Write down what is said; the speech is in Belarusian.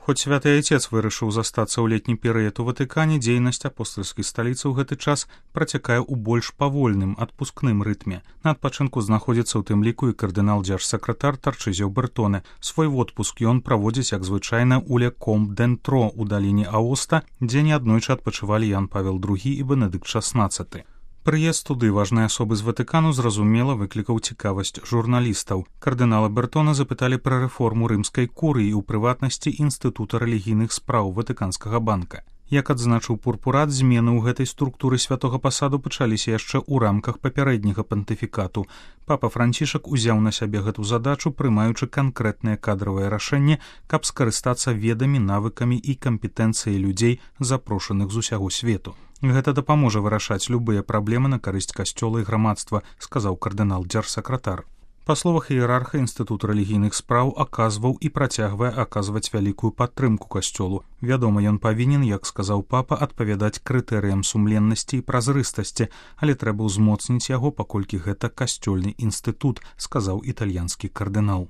Хоць святы айцец вырашыў застацца ў летні перыяд у Ватыкане, дзейнасць апостальскай сталіцы ў гэты час працякае ў больш павольным адпускным рытме. На адпачынку знаходзіцца ў тым ліку і кардынал-дзяржсакратар Тарчызіо Бертоне. Свой водпуск ён праводзіць, як звычайна, у ле Комп-д'Энтро ў даліне Аоста, дзе неаднойчы адпачывалі Ян Павел II і Бенедыкт XVI. Прыезд туды важнай асобы з Ватыкану, зразумела, выклікаў цікавасць журналістаў. Кардынала Бертона запыталі пра рэформу рымскай курыі, у прыватнасці Інстытута рэлігійных спраў Ватыканскага банка. Як адзначыў Пурпурат, змены ў гэтай структуры святога пасаду пачаліся яшчэ ў рамках папярэдняга пантыфікату. Папа Францішак узяў на сябе гэту задачу, прымаючы канкрэтнае кадравае рашэнне, каб скарыстацца ведамі, навыкамі і кампетэнцыяй людзей, запрошаных з усяго свету. Гэта дапаможа вырашаць любыя праблемы на карысць касцёла і грамадства, сказаў кардынал-дзяржсакратар. Па словах іерарха, Інстытут рэлігійных спраў аказваў і працягвае аказваць вялікую падтрымку касцёлу. Вядома, ён павінен, як сказаў папа, адпавядаць крытэрыям сумленнасці і празрыстасці, але трэба ўзмоцніць яго, паколькі гэта касцёльны інстытут, сказаў італьянскі кардынал.